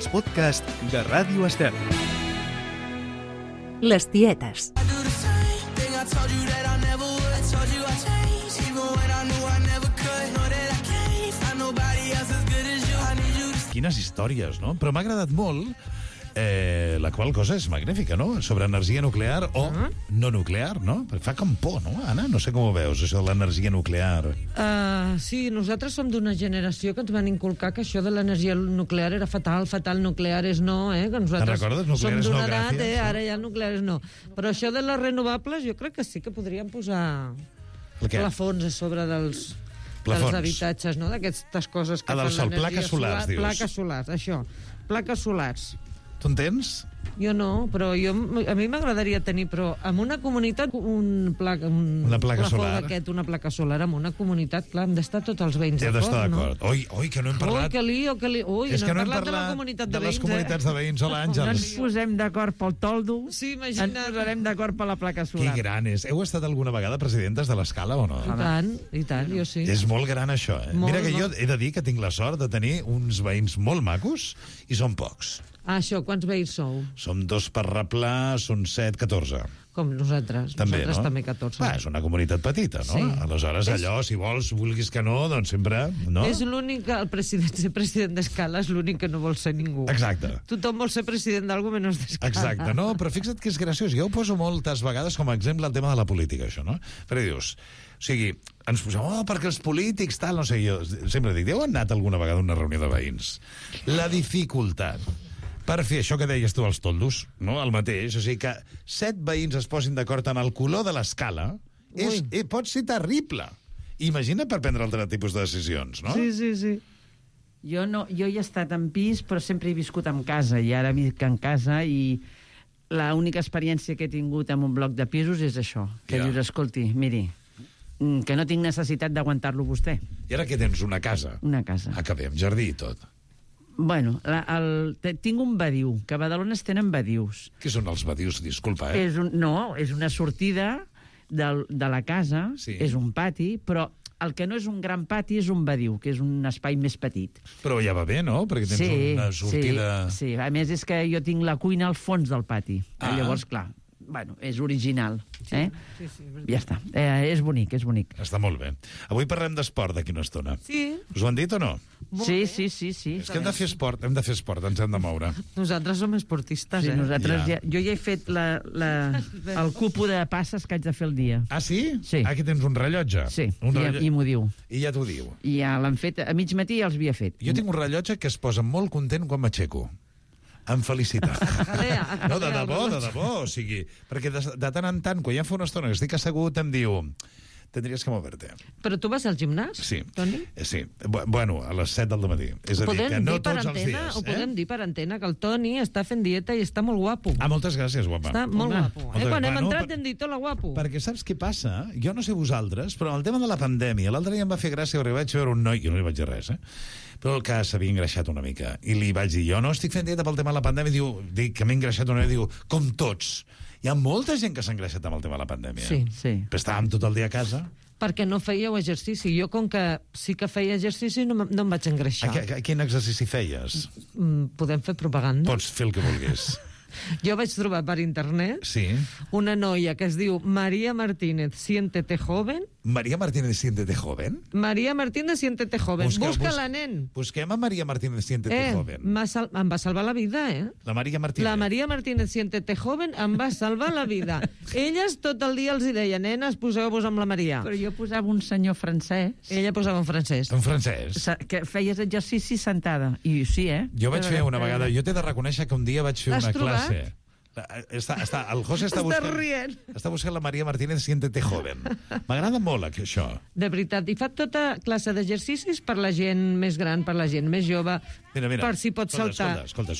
els podcasts de Ràdio Estel. Les tietes. Quines històries, no? Però m'ha agradat molt, la qual cosa és magnífica, no? Sobre energia nuclear o no nuclear, no? Perquè fa com por, no, Anna? No sé com ho veus, això de l'energia nuclear. Sí, nosaltres som d'una generació que ens van inculcar que això de l'energia nuclear era fatal, nuclear és no, que nosaltres Te'n recordes? Nuclear és no, som d'una edat, gràcies. ara ja nuclear és no. Però això de les renovables jo crec que sí que podríem posar El què? plafons a sobre dels Plafons. habitatges, no? D'aquestes coses que Ah, del fan sol, l'energia plaques solars, dius. Plaques solars, això. Plaques solars. Tu en tens? Jo no, però a mi m'agradaria tenir, però en una comunitat, una placa solar. una placa solar, en una comunitat, clar, hem d'estar tots els veïns He d'estar d'acord, d'acord. Oi, que no hem parlat... Ui, que lío. És que no hem parlat de la parlat comunitat de de les veïns, comunitats de veïns. Hola, No ens Àngels. posem d'acord pel toldo, Sí, ens imagina't. posarem d'acord per la placa Que solar. gran és. Heu estat alguna vegada presidentes de l'Escala o no? I tant, jo sí. És molt gran, això, eh? Molt, Mira que jo molt. he de dir que tinc la sort de tenir uns veïns molt macos i són pocs. Ah, això, quants veïns sou? Som 2 per replà, són 7, 14. Com nosaltres. També, nosaltres no? també 14. Va, és una comunitat petita, no? Sí. Aleshores, allò, si vols, vulguis que no, doncs sempre... No? És l'únic, ser president d'Escala és l'únic que no vol ser ningú. Exacte. Tothom vol ser president d'algú menys d'Escala. Exacte, no, però fixa't que és graciós. Jo ho poso moltes vegades com a exemple el tema de la política, això, no? Perquè dius, o sigui, ens posem, perquè els polítics, tal, no sé, jo sempre dic, heu anat alguna vegada a una reunió de veïns? La dificultat per fer això que deies tu, els toldos, no? El mateix, o sigui que 7 veïns es posin d'acord en el color de l'escala pot ser terrible. Imagina per prendre altre tipus de decisions, no? Sí. Jo hi he estat en pis, però sempre he viscut en casa, i ara visc en casa, i l'única experiència que he tingut en un bloc de pisos és això, que Ja. dius, escolti, miri, que no tinc necessitat d'aguantar-lo vostè. I ara què tens, una casa? Una casa. Ah, que bé, amb jardí i tot. Bueno, tinc un badiu, que a Badalona es tenen badius. Què són els badius? Disculpa, eh? És una sortida de la casa, Sí. és un pati, però el que no és un gran pati és un badiu, que és un espai més petit. Però ja va bé, no? Perquè tens una sortida... Sí, a més és que jo tinc la cuina al fons del pati. Ah. Llavors, clar, és original. Sí, Ja està. És bonic. Està molt bé. Avui parlem d'esport d'aquí una estona. Sí. Us ho han dit o no? Sí. És que hem de fer esport, ens hem de moure. Nosaltres som esportistes, Sí, nosaltres Ja. jo ja he fet el cupo de passes que haig de fer el dia. Ah, sí? Sí. Aquí tens un rellotge. Sí, Un i m'ho diu. I ja t'ho diu. I ja l'han fet, a mig matí ja els havia fet. Jo tinc un rellotge que es posa molt content quan m'aixeco. Amb felicitat. No, de debò. O sigui, perquè de tant en tant, quan ja fa una estona que estic assegut, em diu... Tendries que moverte. Però tu vas al gimnàs, Sí. Toni? Sí. Bueno, a les 7 del matí. És a dir, que no tots els dies. Ho podem dir per antena, que el Toni està fent dieta i està molt guapo. Ah, moltes gràcies, guapa. Està molt guapo. Quan hem entrat hem dit, hola, guapo. Perquè saps què passa? Jo no sé vosaltres, però el tema de la pandèmia, l'altre dia em va fer gràcia perquè vaig veure un noi, jo no li vaig dir res, però el que s'havia engreixat una mica. I li vaig dir, jo no estic fent dieta pel tema de la pandèmia, dic que m'he engreixat una mica, diu, com tots. Hi ha molta gent que s'ha engreixat amb el tema de la pandèmia. Sí. Però estàvem tot el dia a casa. Perquè no fèieu exercici. Jo, com que sí que feia exercici, no em vaig engreixar. Quin exercici feies? Podem fer propaganda? Pots fer el que vulguis. Jo vaig trobar per internet Sí. una noia que es diu María Martínez, siéntete joven. María Martínez, siéntete joven? María Martínez, siéntete joven. Busca-la, nen. Busquem a María Martínez, siéntete joven. Em va salvar la vida, La María Martínez. La María Martínez, siéntete joven, em va salvar la vida. Elles tot el dia els hi deien, nenes, poseu-vos amb la Maria. Però jo posava un senyor francès Ella posava en francès. En francès. que feies exercici sentada. I sí, Jo vaig fer una vegada... Jo t'he de reconèixer que un dia vaig fer L'has una trobat? classe. El José està rient. Està buscant la María Martínez, siéntete joven. M'agrada molt això. De veritat, i fa tota classe d'exercicis per la gent més gran, per la gent més jove, Mira. per si pot saltar. Escolta.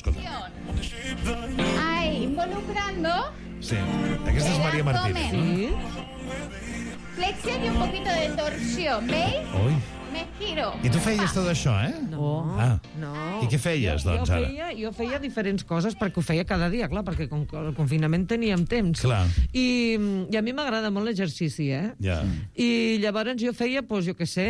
Ahí, involucrando Sí, aquesta és el María Martínez. abdomen. Sí? Flexión y un poquito de torsión, ¿veis? Ui, me giro. I tu feies tot això, eh? No, Ah. no. I què feies, doncs, ara? Jo feia diferents coses, perquè ho feia cada dia, clar, perquè com que el confinament teníem temps. Clar. I a mi m'agrada molt l'exercici, eh? Ja. I llavors jo feia, doncs, jo què sé,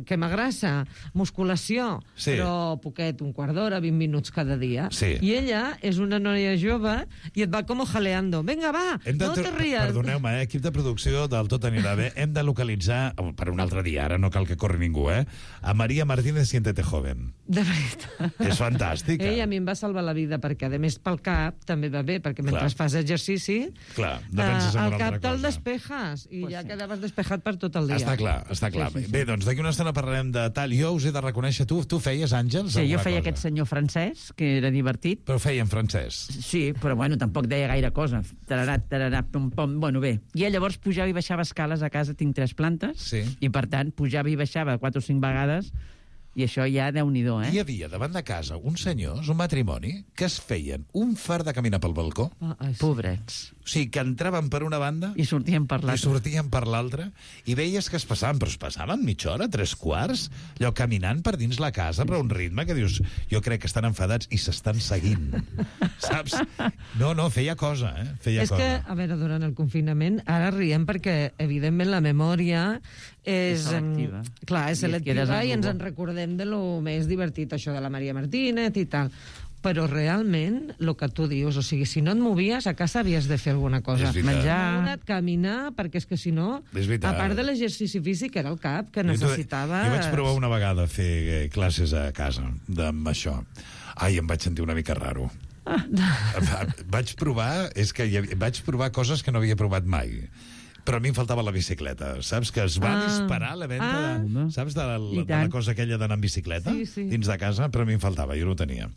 crema grassa, musculació, Sí. però poquet, un quart d'hora, 20 minuts cada dia. Sí. I ella és una noia jove i et va com jaleando. Vinga, va, no te ries. Perdoneu-me, equip de producció del Tot anirà bé. Hem de localitzar, per un altre dia, ara no cal que corri ningú, a María Martínez Siéntete Joven. De veritat. És fantàstica. Ell a mi em va salvar la vida, perquè a més pel cap també va bé, perquè mentre Clar. fas exercici, Clar, no penses en el una cap altra te'l cosa. despejas i ja quedaves despejat per tot el dia. Està clar, està clar. Sí. Bé, doncs d'aquí una estona parlarem de tal. Jo us he de reconèixer, tu feies, Àngels, Sí, jo alguna feia cosa? aquest senyor francès, que era divertit. Però ho feia en francès. Sí, però bueno, tampoc deia gaire cosa. Tararà, pum, pum. Bueno, bé. I ell llavors pujava i baixava escales a casa, tinc 3 plantes, Sí. i per tant pujava i baixava 4 o 5 vegades, i això ja Déu-n'hi-do, Hi havia davant de casa uns senyors, un matrimoni, que es feien un far de caminar pel balcó. Sí. Pobrets. O sigui, que entraven per una banda I sortien per i l'altra. sortien per l'altra, i veies que es passaven, però es passaven mitja hora, 3 quarts, allò caminant per dins la casa, però a un ritme que dius, jo crec que estan enfadats i s'estan seguint, saps? No, feia cosa, feia És cosa. que, a veure, durant el confinament, ara riem perquè, evidentment, la memòria és selectiva. Clar, és I et quedes selectiva i ens amb en recordem de lo més divertit, això de la Maria Martínez i tal. Però realment, el que tu dius, o sigui, si no et movies, a casa havies de fer alguna cosa. És veritat. Menjar. Moure't, caminar, perquè és que si no, És veritat. a part de l'exercici físic, era el cap, que Jo necessitava... vaig provar una vegada a fer classes a casa amb això. Ai, em vaig sentir una mica raro. Vaig provar, vaig provar coses que no havia provat mai. Però a mi em faltava la bicicleta, saps? Que es va disparar la venda, saps, de la cosa aquella d'anar en bicicleta Sí. dins de casa, però a mi em faltava, jo no ho tenia.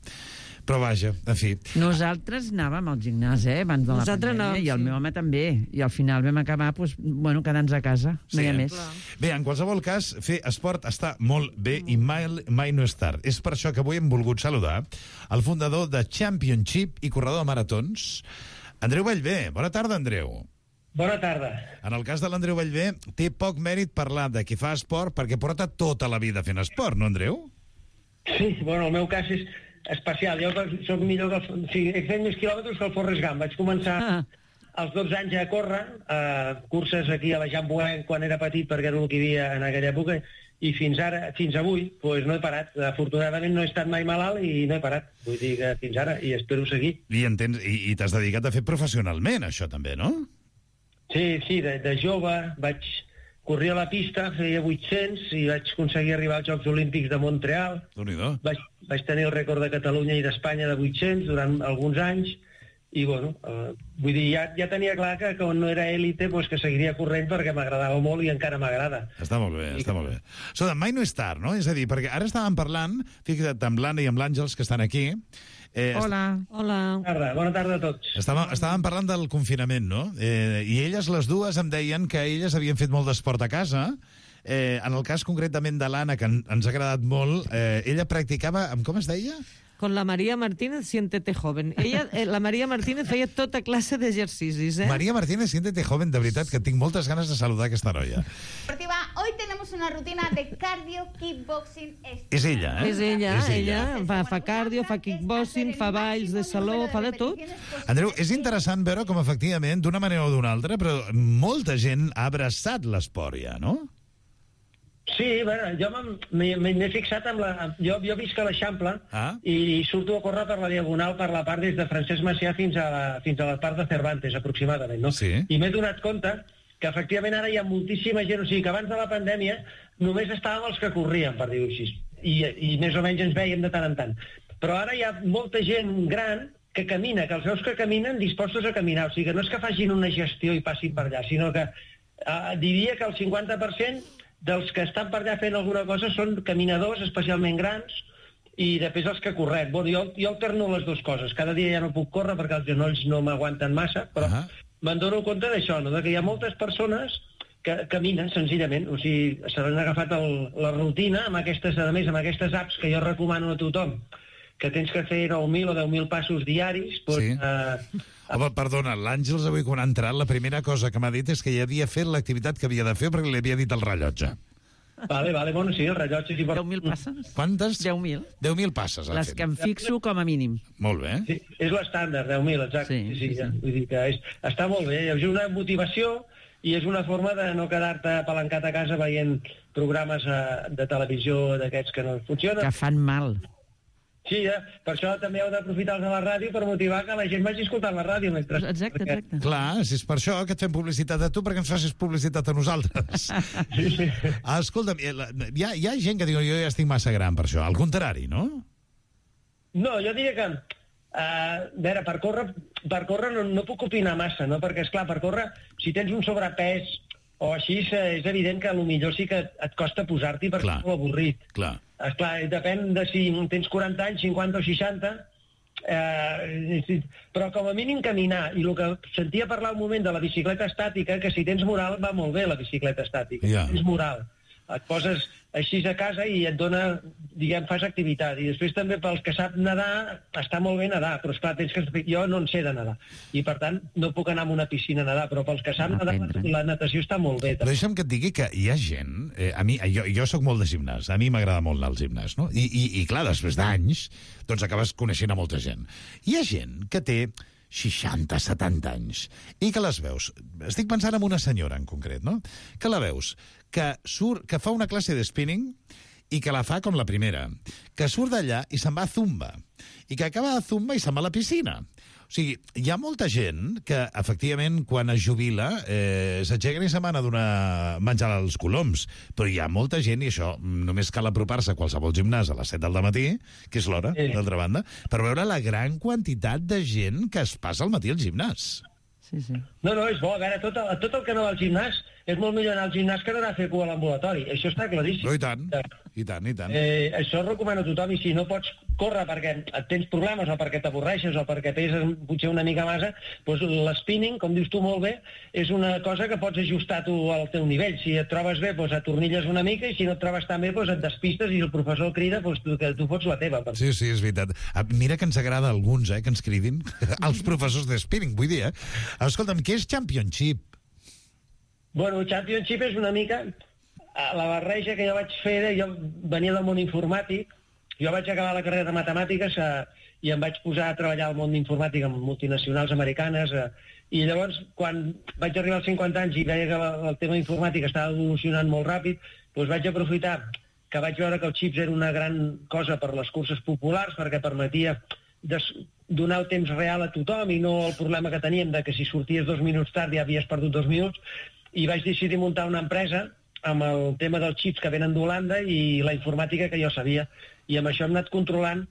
Però vaja, en fi. Nosaltres anàvem al gimnàs, abans de la Nosaltres pandèmia, anàvem, i el sí. meu home també. I al final vam acabar, doncs, bueno, quedant-nos a casa. No hi ha més. Bé, en qualsevol cas, fer esport està molt bé i mai no és tard. És per això que avui hem volgut saludar el fundador de Championship i corredor de maratons, Andreu Bellver. Bona tarda, Andreu. Bona tarda. En el cas de l'Andreu Bellver, té poc mèrit parlar de qui fa esport perquè porta tota la vida fent esport, no, Andreu? Sí, bueno, el meu cas és especial. Jo soc millor que... he fet més quilòmetres que el Forrest Gump. Vaig començar als 12 anys a córrer, curses aquí a la Jean Bouin quan era petit, perquè era el que hi havia en aquella època, i fins avui, doncs no he parat. Afortunadament no he estat mai malalt i no he parat. Vull dir que fins ara, i espero seguir. I t'has dedicat a fer professionalment, això també, no? Sí, de jove corria a la pista, feia 800 i vaig aconseguir arribar als Jocs Olímpics de Montreal. Déu-n'hi-do. Vaig tenir el rècord de Catalunya i d'Espanya de 800 durant alguns anys i, bueno, vull dir, ja tenia clar que quan no era élite, doncs que seguiria corrent perquè m'agradava molt i encara m'agrada. Està molt bé, està molt bé. Escolta, mai no és tard, no? És a dir, perquè ara estàvem parlant, fixa't, amb l'Anna i amb l'Àngels, que estan aquí. Hola. Bona tarda a tots. Estàvem parlant del confinament, no? I elles, les dues, em deien que elles havien fet molt d'esport a casa. En el cas concretament de l'Anna, que ens ha agradat molt, ella practicava, com es deia? Con la María Martínez, siéntete joven. La María Martínez feia tota classe d'exercicis, María Martínez, siéntete joven, de veritat, que tinc moltes ganes de saludar aquesta noia. Deportiva, hoy tenemos una rutina de cardio, kickboxing. És ella, És ella fa cardio, fa kickboxing, fa balls de saló, fa de tot. Andreu, és interessant veure com, efectivament, d'una manera o d'una altra, però molta gent ha abraçat l'esport ja, no? Sí, bueno, jo m'he fixat amb la... Jo visc a l'Eixample i surto a córrer per la Diagonal, per la part des de Francesc Macià fins a la part de Cervantes, aproximadament, no? Sí. I m'he donat compte que, efectivament, ara hi ha moltíssima gent, o sigui, que abans de la pandèmia només estàvem els que corrien, per dir-ho així, i més o menys ens veiem de tant en tant. Però ara hi ha molta gent gran que camina, que els veus que caminen dispostos a caminar, o sigui, que no és que facin una gestió i passin per allà, sinó que diria que el 50% dels que estan per allà fent alguna cosa són caminadors, especialment grans, i després els que correm. Bueno, jo alterno les dues coses. Cada dia ja no puc córrer perquè els genolls no m'aguanten massa, però me'n dono compte d'això, no? De que hi ha moltes persones que caminen senzillament, o sigui, se l'han agafat la rutina amb aquestes, a més, amb aquestes apps que jo recomano a tothom, que tens que fer 9.000 o 10.000 passos diaris. Sí. Home, perdona, l'Àngels avui quan ha entrat, la primera cosa que m'ha dit és que ja havia fet l'activitat que havia de fer perquè li havia dit el rellotge. Vale, bueno, sí, el rellotge... Sí, 10.000 passes. Quantes? 10.000. 10.000 passes. Les que em fixo com a mínim. Molt bé. Sí, és l'estàndard, 10.000, exacte. Sí. Ja. Vull dir que està molt bé. És una motivació i és una forma de no quedar-te apalancat a casa veient programes de televisió d'aquests que no funcionen. Que fan mal. Sí, per això també heu d'aprofitar-los a la ràdio per motivar que la gent vagi escoltant la ràdio. Exacte. Clar, si és per això que et fem publicitat a tu, perquè ens facis publicitat a nosaltres. Sí. Escolta'm, hi ha gent que diu jo ja estic massa gran per això. Al contrari, no? No, jo diria que... a veure, per córrer no puc opinar massa, no? Perquè, esclar, per córrer, si tens un sobrepès o així, és evident que potser sí que et costa posar-t'hi perquè és molt avorrit. Clar. Esclar, depèn de si tens 40 anys, 50 o 60, però com a mínim caminar. I el que sentia parlar un moment de la bicicleta estàtica, que si tens moral va molt bé la bicicleta estàtica. Ja. Tens moral. Et poses així a casa i et dona, diguem, fas activitat. I després també pels que sap nedar, està molt bé nedar, però esclar, jo no en sé de nedar. I per tant, no puc anar a una piscina a nedar, però pels que sap nedar, la natació està molt bé. Però deixa'm que et digui que hi ha gent... jo soc molt de gimnàs, a mi m'agrada molt anar al gimnàs, no? I clar, després d'anys, doncs acabes coneixent a molta gent. Hi ha gent que té 60, 70 anys, i que les veus... Estic pensant en una senyora en concret, no? Que la veus que fa una classe de spinning i que la fa com la primera, que surt d'allà i se'n va a Zumba, i que acaba a Zumba i se'n va a la piscina. O sigui, hi ha molta gent que, efectivament, quan es jubila, s'aixequen i se'n van a donar menjar als coloms. Però hi ha molta gent, i això només cal apropar-se a qualsevol gimnàs a les 7 del matí, que és l'hora, d'altra banda, per veure la gran quantitat de gent que es passa al matí al gimnàs. Sí. No, és bo. A veure, tot el que no va al gimnàs és molt millor anar al gimnàs que anar a fer cua a l'ambulatori. Això està claríssim. Però i tant. Això recomano a tothom, i si no pots córrer perquè tens problemes o perquè t'avorreixes o perquè peses potser una mica massa, doncs l'spinning, com dius tu molt bé, és una cosa que pots ajustar tu al teu nivell. Si et trobes bé, doncs atornilles una mica, i si no et trobes tan bé, doncs et despistes i el professor crida, doncs que tu fots la teva. Sí, és veritat. Mira que ens agrada a alguns, que ens cridin, els professors de spinning, vull dir, Escolta'm, què és Championship? Bueno, Championship és una mica la barreja que jo vaig fer. Jo venia del món informàtic, jo vaig acabar la carrera de matemàtiques i em vaig posar a treballar al món d'informàtica amb multinacionals americanes, i llavors, quan vaig arribar als 50 anys i veia que el tema informàtic estava evolucionant molt ràpid, doncs vaig aprofitar que vaig veure que els xips era una gran cosa per les curses populars, perquè permetia donar el temps real a tothom i no el problema que teníem de que si sorties 2 minuts tard ja havies perdut 2 minuts, i vaig decidir muntar una empresa amb el tema dels xips que venen d'Holanda i la informàtica que jo sabia, i amb això hem anat controlant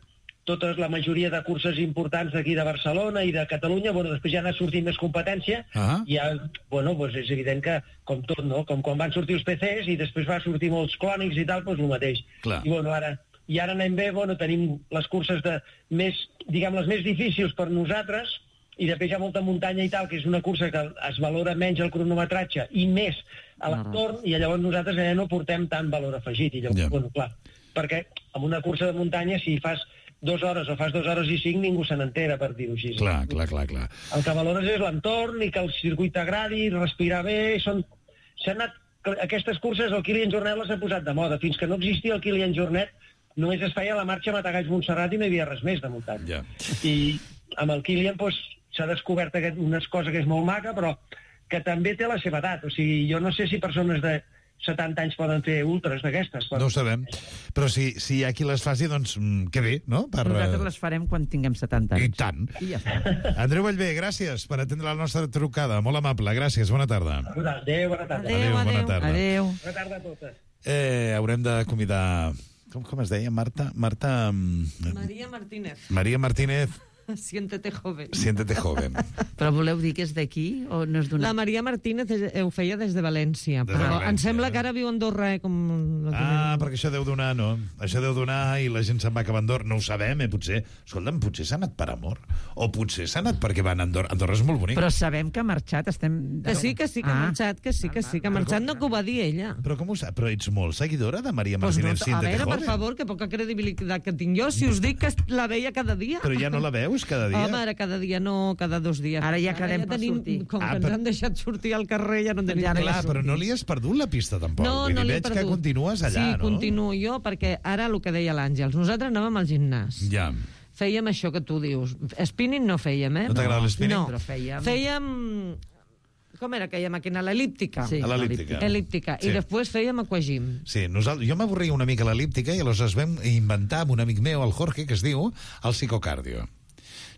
la majoria de curses importants d'aquí de Barcelona i de Catalunya. Després ja ha anat sortint més competència, i ja, és evident que, com tot, no? Com quan van sortir els PCs i després va sortir molts clònics i tal, doncs el mateix. Clar. I ara anem bé, tenim les curses les més difícils per nosaltres, i després hi ha molta muntanya i tal, que és una cursa que es valora menys el cronometratge i més a l'entorn, i llavors nosaltres no portem tant valor afegit. I llavors, clar, perquè amb una cursa de muntanya, si fas 2 hores o fas 2 hores i 5, ningú se n'entera, per dir-ho així. Clar. El que valores és l'entorn i que el circuit t'agradi, respirar bé. Aquestes curses, el Kilian Jornet les ha posat de moda. Fins que no existia el Kilian Jornet, només es feia la marxa Matagalls-Montserrat i no hi havia res més de muntanya. I amb el Kilian s'ha descobert una cosa que és molt maca, però que també té la seva edat. O sigui, jo no sé si persones de 70 anys poden fer ultras d'aquestes. No ho sabem, però si hi ha qui les faci, doncs que bé, no? Nosaltres les farem quan tinguem 70 anys. I tant. I ja està. Andreu Vallvé, gràcies per atendre la nostra trucada. Molt amable, gràcies, bona tarda. Adéu, bona tarda. Bona tarda. Adéu. Bona tarda a totes. Haurem de convidar... Com es deia, Marta? Maria Martínez. Maria Martínez. Siéntete joven. Siéntete joven. Però voleu dir que és d'aquí o no és d'una... La Maria Martínez ho feia des de València, però em sembla que ara viu a Andorra, perquè això deu donar, no? Això deu donar i la gent se'n va cap a Andorra. No ho sabem, potser. Escolta'm, potser s'ha anat per amor. O potser s'ha anat perquè van a Andorra. Andorra és molt bonic. Però sabem que ha marxat, estem... Que sí, que ha marxat, que ha marxat, no que ho va dir ella. Però com ho sap? Però ets molt seguidora de Maria Martínez, Siéntete joven? A veure, per favor, que poca credibilitat que tinc jo, si us dic que la veia cada dia. Però ja no la veus? dius, cada dia? Home, ara cada dia no, cada 2 dies. Ara ja quedem per tenim, sortir. Com que ens han deixat sortir al carrer, ja no tenim... Ja no Clar, però no li has perdut la pista, tampoc. No, Vull no dir, l'he veig perdut. que continues allà, sí, no? continuo jo, perquè ara el que deia l'Àngels, nosaltres anàvem al gimnàs. Ja. Fèiem això que tu dius. Spinning no fèiem, eh? No t'agrada l'spinning? No, Però fèiem- Fèiem... Com era aquella màquina? L'elíptica. Sí. A l'elíptica. Elíptica. Sí. I després fèiem aquagym. Sí, jo m'avorria una mica a l'elíptica i aleshores vam inventar amb un amic meu, el Jorge, que es diu el psicocardio.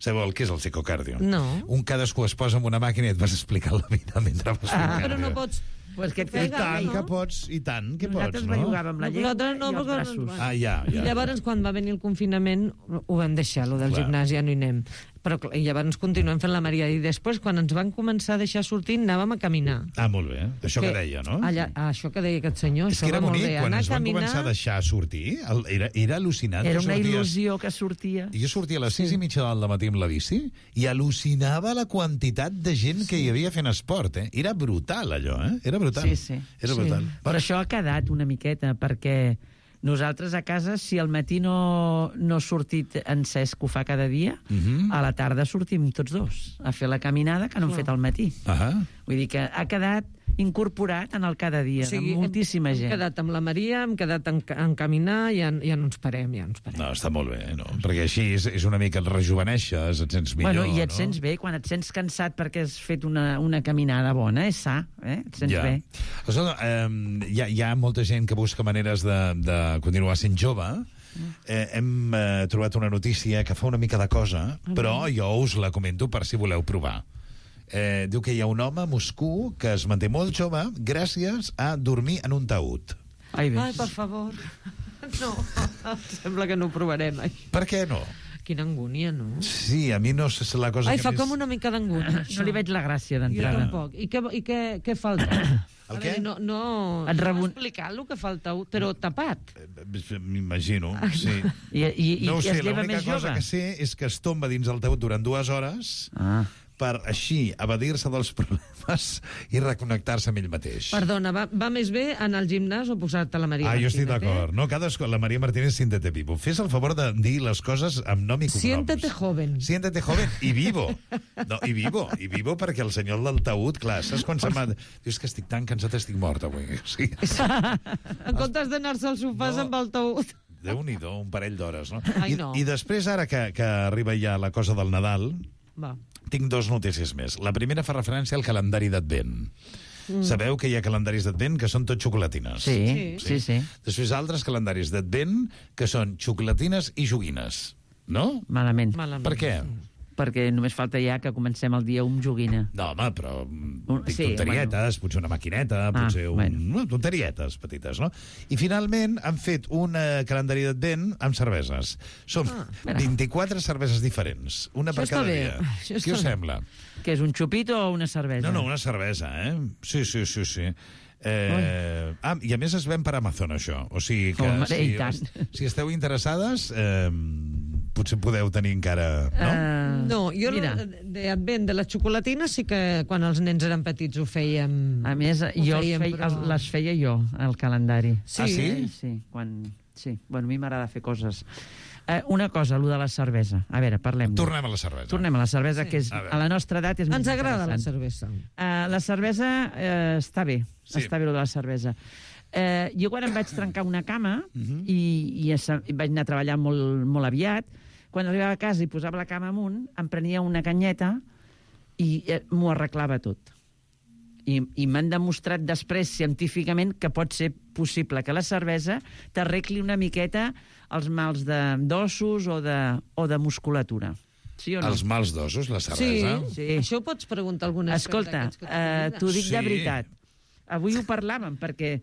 Sabeu el que és el psicocardio? No. Un cadascú es posa en una màquina i et vas explicar la vida mentre vas fent cardio. Però no pots... Pues que et I fes tant no? que pots, i tant que pots, Nosaltres no? bellugàvem la llengua Nosaltres no, i els perquè- braços. Ah, ja. I llavors, quan va venir el confinament, ho vam deixar, lo del Clar. gimnàs, ja no hi anem. Però clar, i llavors continuem fent la Maria. I després, quan ens van començar a deixar sortir, anàvem a caminar. Ah, molt bé. Això que deia, no? Això que deia aquest senyor, És això que era va molt bonic, bé. quan Anar ens a van caminar... començar a deixar sortir, era al·lucinant. Era Tu una sorties- il·lusió que sortia. Jo sortia a les 6:30 del matí amb la bici i al·lucinava la quantitat de gent que hi havia fent esport, eh? Era brutal, allò, eh? Era brutal. Sí, sí. Era Sí. brutal. Però això ha quedat una miqueta, perquè nosaltres a casa, si al matí no ha sortit en Cesc, que ho fa cada dia, a la tarda sortim tots dos a fer la caminada que no hem fet al matí. Ahà. Vull dir que ha quedat incorporat en el cada dia, de moltíssima hem gent. quedat amb la Maria, hem quedat en caminar i ja no ens parem, No, està molt bé, no? Perquè així és una mica et rejuveneixes, et sents millor, Bueno, i et no? sents bé, quan et sents cansat perquè has fet una caminada bona, és sa, et sents bé. Escolta, hi ha molta gent que busca maneres de continuar sent jove. Hem trobat una notícia que fa una mica de cosa, però jo us la comento per si voleu provar. Diu que hi ha un home a Moscou que es manté molt jove gràcies a dormir en un taüt. Ai, bé. Ai, per favor. No, sembla que no ho provarem, això. Per què no? Quina angúnia, no? Sí, a mi no és la cosa Ai, que fa més... com una mica d'angúnia, això. No li veig la gràcia Jo d'entrada. tampoc. I què falta? El què? No Et explicar el que falta, però tapat. M'imagino, sí. I No ho sé, es lleva l'única més cosa jove. que sé és que es tomba dins el taüt durant 2 hores Ah. per així evadir-se dels problemes i reconnectar-se amb ell mateix. Perdona, va més bé anar al gimnàs o posar-te la Maria Jo Martínez? estic d'acord. No, la Maria Martínez, siéntete vivo. Fes el favor de dir les coses amb nom i cognoms. Siéntete joven. Siéntete joven i vivo. No, i vivo perquè el senyor del taüt, clar, saps quan se'n va... Dius que estic tan cansat, estic mort avui. Sí. En comptes d'anar-se al sofàs No. amb el taüt. Déu-n'hi-do, un parell d'hores, no? Ai, no. I després, ara que arriba ja la cosa del Nadal, Va. tinc 2 notícies més. La primera fa referència al calendari d'Advent. Sabeu que hi ha calendaris d'Advent que són tot xocolatines? Sí. Després altres calendaris d'Advent que són xocolatines i joguines. No? Malament. Per què? Perquè només falta ja que comencem el dia amb joguina. No, home, però dic Sí, tonterietes, potser una maquineta, potser bueno. tonterietes petites, no? I finalment han fet un calendari d'Advent amb cerveses. Són 24 cerveses diferents, una per Això cada està bé. dia. Això Què està us bé. sembla? Que és un xupito o una cervesa? No, una cervesa, eh? Sí. I a més es ven per Amazon, això. O sigui que Home, i tant. si esteu interessades, potser podeu tenir encara... No? No, jo Mira. d'Advent de les xocolatines sí que quan els nens eren petits ho fèiem. A més, jo les feia jo, el calendari. Ah, sí? Sí, sí. Bueno, a mi m'agrada fer coses. Una cosa, allò de la cervesa. A veure, parlem. Tornem a la cervesa. Tornem a la cervesa, que és, A veure. a la nostra edat és més Ens agrada la interessant. cervesa. La cervesa està bé, Sí. està bé, allò de la cervesa. Jo quan em vaig trencar una cama i vaig anar a treballar molt, molt aviat, quan arribava a casa i posava la cama amunt, em prenia una canyeta i m'ho arreglava tot. I m'han demostrat després científicament que pot ser possible que la cervesa t'arregli una miqueta els mals d'ossos o de musculatura. Sí o no? Els mals d'ossos, la Sí, cervesa? Sí. Això ho pots preguntar a alguna Escolta, t'ho dic Sí. de veritat. Avui ho parlàvem, perquè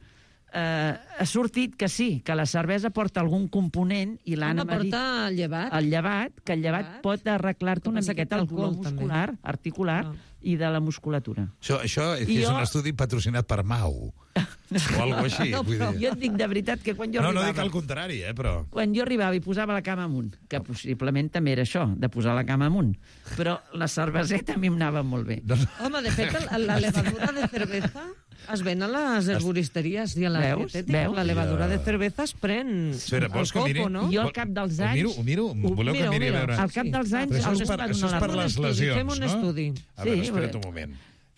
ha sortit que sí, que la cervesa porta algun component i l'Anna m'ha dit porta llevat. el llevat, que el llevat pot arreglar-te una Pensa que miqueta té el dolor alcohol, també. muscular, articular Ah. i de la musculatura. Això és I jo- un estudi patrocinat per Mau. O alguna així. No, vull però dir. jo et dic de veritat que quan jo No arribava... dic el contrari, però... Quan jo arribava i posava la cama amunt, que possiblement també era això, de posar la cama amunt, però la cerveseta a mi em anava molt bé. No, no. Home, de fet, la levadura de cervesa Es ven a les herboristeries i a la Veus? dietética. Veus? La levadura Ja. de cerveza es pren Espera, al vols que miri? coco, no? Jo al cap dels anys... Ho miro? Voleu que miri a veure? Al cap dels anys... Però això els és per, donen això és una per bona- les lesions, Fem un no? estudi. A veure, Sí, espera't perquè- un moment.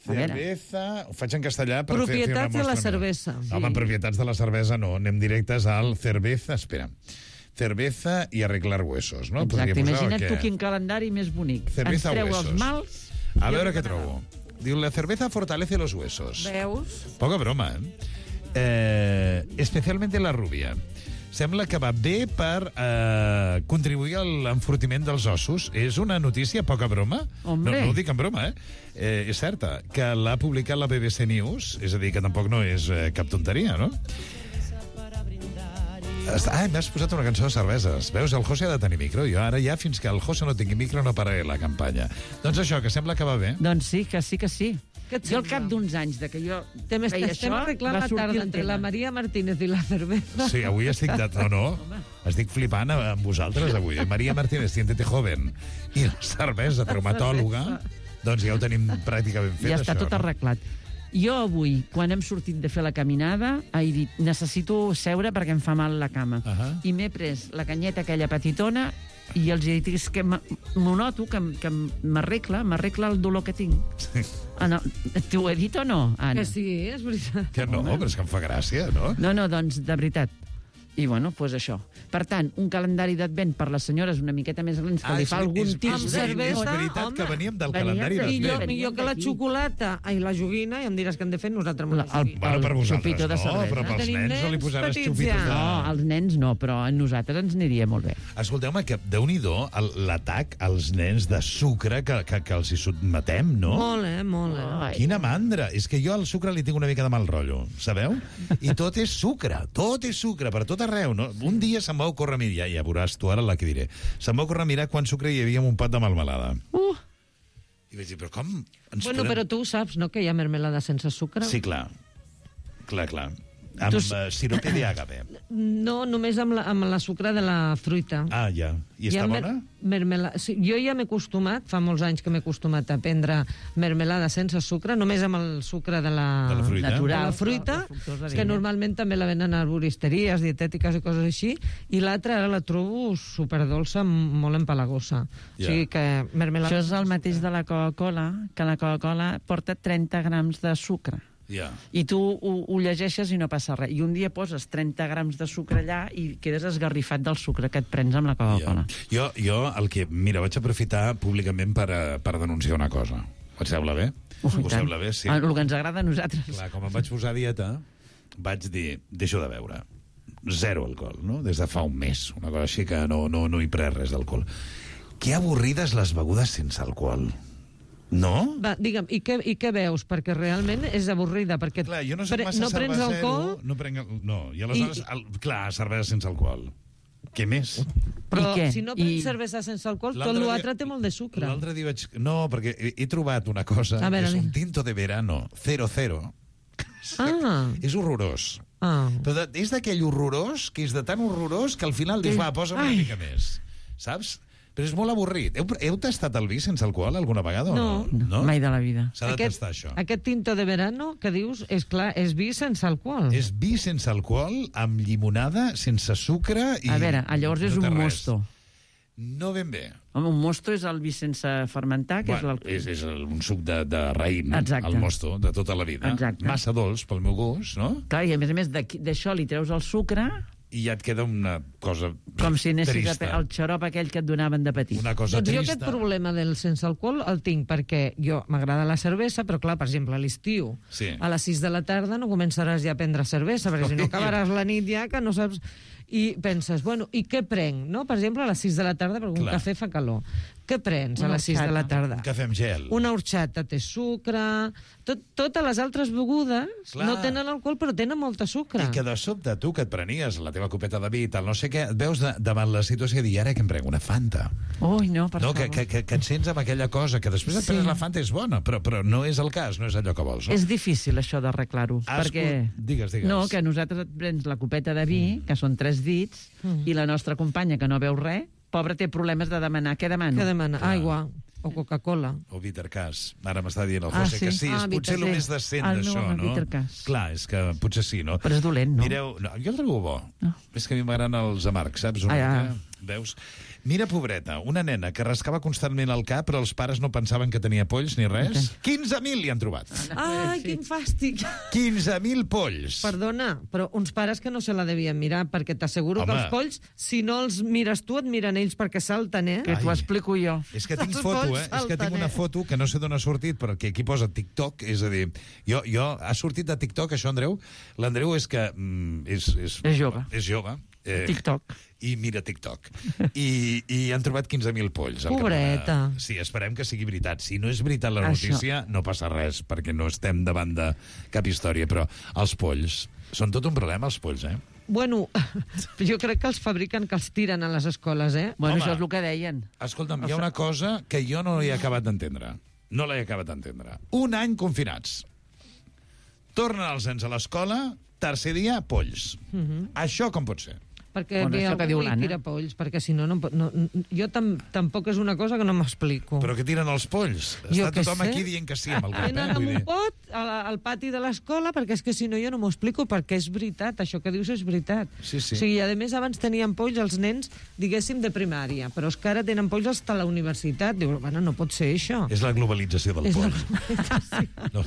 A veure. Cerveza... Ho faig en castellà per fer una Propietats de la mostra. cervesa. No, home, propietats de la cervesa no. Anem directes al cerveza... Espera. Cerveza i arreglar huesos, no? Podria Exacte, posar imagina't el tu que- quin calendari més bonic. Cerveza Ens treu huesos. els mals... A veure què trobo. Diu, la cerveza fortalece los huesos. Veus? Poca broma, especialmente la rubia. Sembla que va bé per contribuir a l'enfortiment dels ossos. És una notícia poca broma? Hombre. No ho dic en broma, és certa. Que l'ha publicat la BBC News, és a dir, que tampoc no és cap tonteria, no? M'has posat una cançó de cerveses. Veus, el José ha de tenir micro. Jo ara ja, fins que el José no tingui micro, no pararé la campanya. Doncs això, que sembla que va bé. Doncs sí, que sí, que sí. Què et Jo al sembla? cap d'uns anys de que jo Estem feia això, arreglant va la sortir tarda el entre tema. la Maria Martínez i la cerveza. Sí, avui estic... No. Estic flipant amb vosaltres, avui. Maria Martínez, siéntete joven. I la cervesa, traumatòloga. Doncs ja ho tenim pràcticament fet, Ja està això, tot no? arreglat. Jo avui, quan hem sortit de fer la caminada, he dit, necessito seure perquè em fa mal la cama. I m'he pres la canyeta aquella petitona i els he dit, és que m'ho noto, que m'arregla el dolor que tinc. Sí. T'ho he dit o no, Anna? Que sí, és veritat. Que no, però és que em fa gràcia, no? No, doncs, de veritat. I, bueno, doncs això. Per tant, un calendari d'advent per les senyores una miqueta més grans que li fa algun tipus és de... veritat home. que veníem del Veníem calendari de- I d'advent. jo que la xocolata i la joguina, i em diràs que hem de fer nosaltres amb la joguina. Bueno, per vosaltres xupito de no, cervesa. però pels Tenim nens no li nens posaves petits xupitos ja. de... No, als nens no, però a nosaltres ens aniria molt bé. Escolteu-me, que déu-n'hi-do l'atac als nens de sucre que els hi sotmetem, no? Molt. Ai. Quina mandra! És que jo al sucre li tinc una mica de mal rotllo, sabeu? I tot és sucre per tot arreu, no? Un dia se'm va ocórrer mirar, ja veuràs tu ara la que diré, se'm va ocórrer mirar quant sucre hi havia en un pot de melmelada. I vaig dir, però com ens Bueno, però tu ho saps, no?, que hi ha mermelada sense sucre? Sí, clar. Amb sirope d'àgave. No, només amb la sucre de la fruita. Ah, ja. I està bona? Sí, jo ja m'he acostumat, fa molts anys que m'he acostumat a prendre mermelada sense sucre, només amb el sucre de la fruita. Natural. de la fruita, La fructosa que vinya. normalment també la venen a arboristeries, dietètiques i coses així, i l'altra ara la trobo superdolça, molt empalagosa. Ja. O sigui que mermelada... Això és el mateix de la Coca-Cola, que la Coca-Cola porta 30 grams de sucre. Ja. I tu ho llegeixes i no passa res. I un dia poses 30 grams de sucre allà i quedes esgarrifat del sucre que et prens amb la Coca-Cola. Ja. Jo el que... Mira, vaig aprofitar públicament per denunciar una cosa. Us sembla bé? Us sembla bé, sí. El que ens agrada a nosaltres. Clar, com em vaig posar a dieta, vaig dir, deixo de beure. Zero alcohol, no? Des de fa un mes. Una cosa així que no hi pres res d'alcohol. Que avorrides les begudes sense alcohol. No? Va, digue'm, i què veus? Perquè realment és avorrida, perquè Clar, jo no soc massa no prens cervesero, alcohol... no prenc... No, i aleshores, clar, cervesa sense alcohol. Què més? Però I què? si no prens cervesa sense alcohol, tot L'altre l'altre dia- té molt de sucre. L'altre dia vaig... No, perquè he trobat una cosa, A veure, que és un dime. tinto de verano 00. Ah, És horrorós. Però és d'aquell horrorós, que és de tan horrorós, que al final dius, va, posa'm una mica més. Saps? Però és molt avorrit. Heu tastat el vi sense alcohol alguna vegada? No. O no? Mai de la vida. S'ha de tastar, això. Aquest tinto de verano que dius, és clar, és vi sense alcohol. És vi sense alcohol, amb llimonada, sense sucre i... A veure, llavors és no té un res. mosto. No ben bé. Home, un mosto és el vi sense fermentar, que Bueno, és és un suc de raïm, Exacte. el mosto, de tota la vida. Exacte. Massa dolç, pel meu gust, no? Clar, i a més d'això li treus el sucre I ja et queda una cosa com si anessis trista. el xarop aquell que et donaven de petit. Una cosa Doncs jo trista. aquest problema del sense alcohol el tinc perquè jo m'agrada la cervesa, però clar, per exemple, a l'estiu, Sí. a les 6 de la tarda no començaràs ja a prendre cervesa, perquè si no acabaràs la nit ja que no saps... I penses, bueno, i què prenc? No? Per exemple, a les 6 de la tarda, perquè un Clar. cafè fa calor. Què prens a Una les 6 de la horchata. tarda? Un cafè amb gel. Una horchata té sucre... Totes les altres begudes Clar. no tenen alcohol, però tenen molta sucre. I que de sobte tu, que et prenies la teva copeta de vi, tal, no sé què, et veus davant la situació i dir, ara que em prenc una Fanta. Ui, no, per No, favor. que et sents amb aquella cosa, que després et Sí. prenes la Fanta, és bona, però no és el cas, no és allò que vols. No? És difícil, això d'arreglar-ho. Perquè... Digues. No, que nosaltres et prens la copeta de vi, que són 3 dits, i la nostra companya, que no veu res, pobra, té problemes de demanar. Què demano? Què demana? Aigua. O Coca-Cola. O Bittercàs. Ara m'està dient el José que sí. És potser el més decent El meu d'això, home, no? Bittercàs. Clar, és que potser sí, no? Però és dolent, no? Mireu, no, jo el trobo bo. No. És que a mi m'agraden els amargs, saps? Veus? Mira, pobreta, una nena que rascava constantment el cap, però els pares no pensaven que tenia polls ni res. 15.000 li han trobat. Ai, quin fàstic! 15.000 polls. Perdona, però uns pares que no se la devien mirar, perquè t'asseguro que Home. els polls, si no els mires tu, et miren ells perquè salten, eh? Que t'ho Ai. explico jo. És que tinc Els foto, polls És que tinc salten, una foto que no sé d'on ha sortit, però que aquí posa TikTok, és a dir, ha sortit de TikTok, això, Andreu? L'Andreu és que és jove. És jove. TikTok. I mira TikTok. I han trobat 15.000 polls. al Pobreta. Campionat. Sí, esperem que sigui veritat. Si no és veritat la Això. notícia, no passa res, perquè no estem davant de cap història, però els polls són tot un problema, els polls, Bueno, jo crec que els fabriquen, que els tiren a les escoles, eh? Bueno, Home. això és el que deien. Escolta'm, hi ha una cosa que jo no he acabat d'entendre. No l'he acabat d'entendre. Un any confinats. Tornen els nens a l'escola, tercer dia, polls. Això com pot ser? Perquè Bueno, ve això que algú diu i l'Anna. tira polls, perquè si no, jo tampoc és una cosa que no m'explico. Però que tiren els polls? Jo Està què tothom sé. aquí dient que sí amb el cap, Tenen amb Vull un dir... pot al pati de l'escola, perquè és que si no jo no m'ho explico, perquè és veritat, això que dius és veritat. Sí, sí. O sigui, a més, abans tenien polls els nens, diguéssim, de primària, però és que ara tenen polls fins a la universitat. Diu, bueno, no pot ser això. És la globalització del És la poll. No.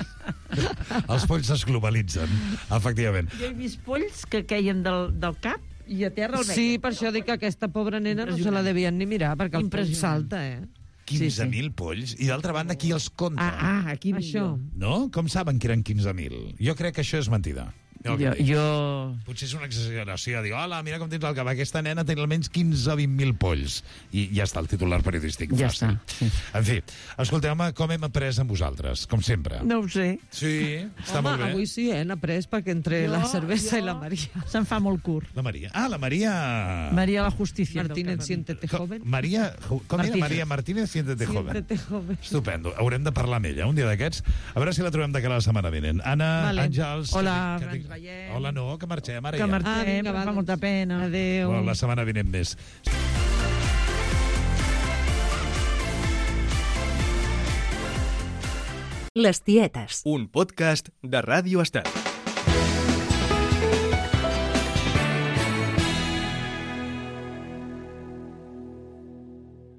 Els polls es globalitzen, efectivament. Jo he vist polls que queien del cap i a terra el veien. Sí, per això dic que aquesta pobra nena no se la devien ni mirar, perquè el poll Impressionant. salta, eh? 15.000 polls, i d'altra banda, qui els compta? Aquí Això. No? Com saben que eren 15.000? Jo crec que això és mentida. Jo... Potser és una exageració, dir, hola, mira com tens el cap, aquesta nena té almenys 15 o 20.000 polls. I ja està el titular periodístic. Ja fàcil. està, sí. En fi, escolteu-me, com hem après amb vosaltres, com sempre. No ho sé. Sí, està Home, molt bé. avui sí, hem après, perquè entre la cervesa i la Maria. Se'n fa molt curt. La Maria. Ah, la Maria... Maria la Justícia. Martínez, siéntete joven. Maria... Com era? Martínez. Maria Martínez, siéntete joven. Siéntete joven. Estupendo. Haurem de parlar amb ella un dia d'aquests. A veure si la trobem de cara a la setmana vinent. Anna, Vale. Àngels... Hola, que ens veiem. Hola, no, que marxem ara Que ja. marxem, vinga, va, fa doncs. molta pena. Adéu. Bueno, la setmana vinent més. Les tietes. Un podcast de Ràdio Estat.